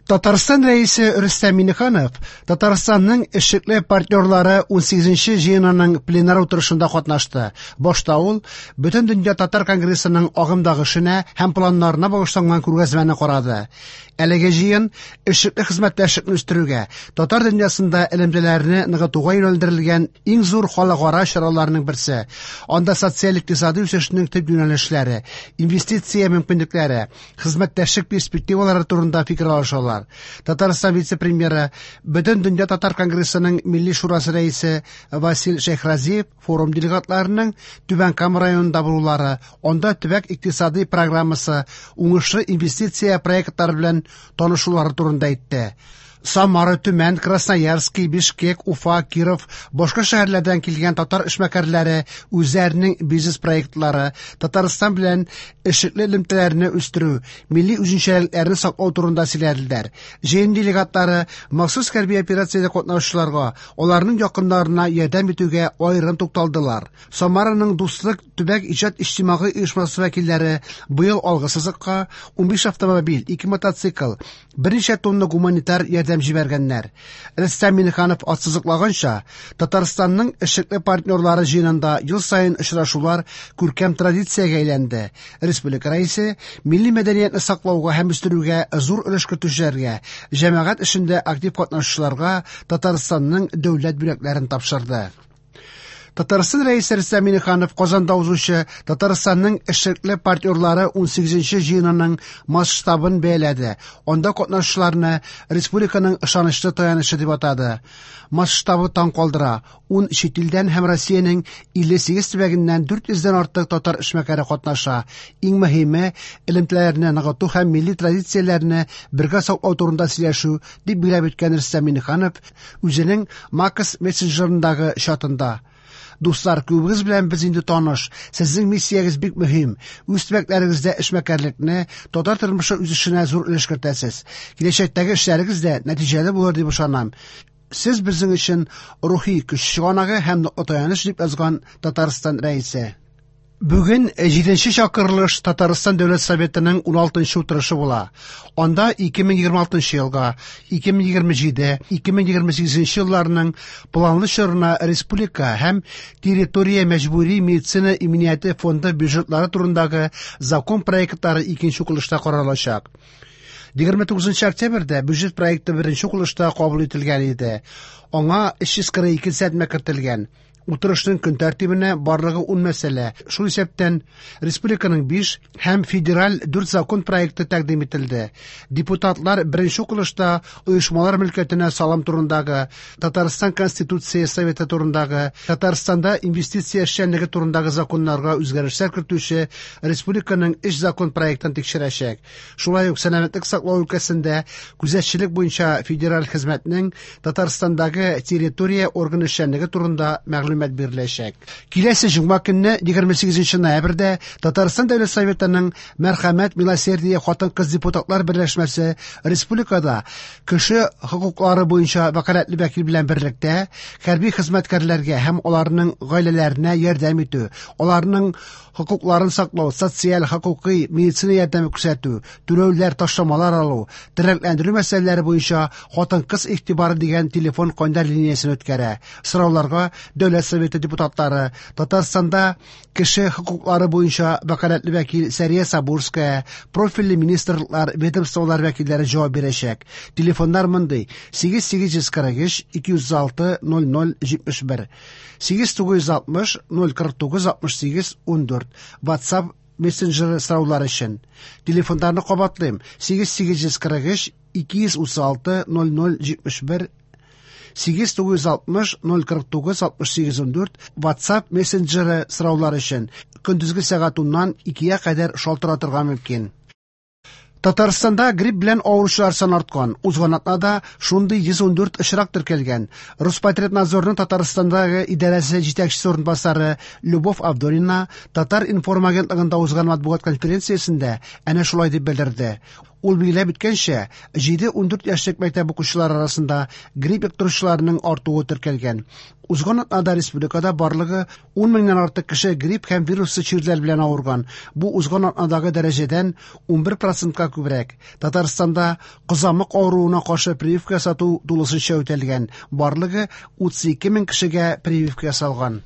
Татарстан Рәисе Рөстәм Миңнеханов Татарстанның эшлекле партнерлары 18нче җыенының пленар утырышында катнашты. Башта ул Бөтендөнья татар конгрессының агымдагы эшенә һәм планнарына багышланган күргәзмәне карады. Әлеге җыен эшлекле хезмәттәшлекне үстерүгә, татар дөньясында элемтәләрне ныгытуга юнәлдерелгән иң зур халыкара чараларның берсе. Анда социаль-икътисади үсешнең төп юнәлешләре, инвестиция мөмкинлекләре, хезмәттәшлек перспективалары турында фикер алышалар. Татарстан вице-премьеры, Бөтендөнья татар конгрессының Милли шурасы рәисе Васил Шәйхразиев форум делегатларының Түбән Кама районында булулары, анда төбәк икътисади программасы, уңышлы инвестиция проектлары белән танышулары турында әйтте. Самара, Төмән, Красноярский, Бишкек, Уфа, Киров, башка шәһәрләрдән килгән татар эшмәкәрләре үзләренең бизнес-проектлары, Татарстан белән эшлекле элемтәләрне үстерү, милли үзенчәлекләрне саклау турында сөйләделәр. Җыен делегатлары махсус хәрби операциядә катнашучыларга, аларның якыннарына ярдәм итүгә аерым тукталдылар. Самараның Дуслык төбәк иҗат иҗтимагый оешмасы вәкилләре быел алгы сызыкка 15 автомобиль, 2 мотоцикл, берничә тонна гуманитар ярдәм җибәргәннәр. Рөстәм Миңнеханов ассызыклаганча, Татарстанның эшлекле партнерлары җыенында ел саен очрашулар күркәм традициягә әйләнде. Республика Рәисе милли мәдәниятне саклауга һәм үстерүгә зур өлеш кертүчеләргә, җәмәгать эшендә актив катнашучыларга Татарстанның дәүләт бүләкләрен тапшырды. Татарстан Рәисе Рөстәм Миңнеханов Казанда узучы Татарстанның эшлекле партнерлары 18нче җыенының масштабын бәяләде. Анда катнашучыларны республиканың ышанычлы таянычы дип атады. Масштабы таң калдыра. 10 чит илдән һәм Россиянең 58 төбәгеннән 400 дән артык татар эшмәкәре катнаша. Иң мөһиме элемтәләрне ныгыту һәм милли традицияләрне бергә саклау турында сөйләшү, дип билгеләп үткән Рөстәм Миңнеханов үзенең Макс мессенджерындагы чатында. Дуслар, күбегез белән без инде таныш. Сезнең миссиягез бик мөһим. Үз төбәкләрегездә эшмәкәрлекне, татар тормышы үсешенә зур өлеш кертәсез. Киләчәктәге эшләрегез дә нәтиҗәле булыр дип ышанам. Сез безнең өчен рухи көч чыганагы һәм ныклы таяныч, дип язган Татарстан Рәисе. Бүген 7нче чакырылыш Татарстан Дәүләт Советының 16нчы утырышы була. Анда 2026 елга, 2027-2028 елларның планлы чорына республика һәм территория мәҗбүри медицина иминияте фонды бюджетлары турындагы закон проектлары икенче укылышта каралачак. 29 октябрьдә бюджет проекты беренче укылышта кабул ителгән иде. Аңа 342 төзәтмә кертелгән. Утырышның көн тәртибенә барлыгы 10 мәсьәлә, шул исәптән республиканың 5 һәм федераль 4 закон проекты тәкъдим ителде. Депутатлар беренче укылышта оешмалар мөлкәтенә салым турындагы, Татарстан Конституция Советы турындагы, Татарстанда инвестиция эшчәнлеге турындагы законнарга үзгәрешләр кертүче республиканың 3 закон проектын тикшерәчәк. Шулай ук сәламәтлек саклау өлкәсендә күзәтчелек буенча федераль хезмәтнең Татарстандагы территория органы эшчәнлеге турында мәгълүмат биреләчәк. Киләсе җомга көнне 28 ноябрьдә Татарстан Дәүләт Советының Мәрхәмәт Милосердие хатын-кыз депутатлар берләшмәсе республикада кеше хокуклары буенча вәкаләтле вәкил белән берлектә хәрби хезмәткәрләргә һәм аларның гаиләләренә ярдәм итү, аларның хокукларын саклау, социаль, хокукый, медицина ярдәме күрсәтү, түләүләр, ташламалар алу, тернәкләндерү мәсьәләләре буенча хатын-кыз игътибары дигән телефон кайнар линиясен үткәрә. Сорауларга Дәүләт Советы депутатлары, Татарстанда кеше хокуклары буенча вәкаләтле вәкил Сәрия Сабурская, профильле министрлыклар, ведомстволар вәкилләре җавап бирәчәк. Телефоннар мондый: 8843 206 00 71, 8960 049 68 14. WhatsApp мессенджеры сораулар өчен. Телефоннарны кабатлыйм: 8843 236 00 71, 8960 049 68 14. WhatsApp мессенджеры сораулар өчен. Көндезге сәгать 10-нан 2-гә кадәр шалтыратырга мөмкин. Татарстанда грипп белән авыручылар саны арткан. Узган атнада шундый 114 очрак теркәлгән. Роспотребнадзорның Татарстандагы идарәсе җитәкчесе урынбасары Любовь Авдонина Татар-информ агентлыгында узган матбугат конференциясендә әнә шулай дип белдерде. Ул билгеләп үткәнчә, 7-14 яшьлек мәктәп укучылары арасында грипп йоктыручыларның артуы теркәлгән. Узган атнада республикада барлыгы 10 меңнән артык кеше грипп һәм вируслы чирләр белән авырган. Бу узган атнадагы дәрәҗәдән 11 процентка күбрәк. Татарстанда кызамык авыруына каршы прививка ясату тулысынча үтәлгән. Барлыгы 32 мең кешегә прививка ясалган.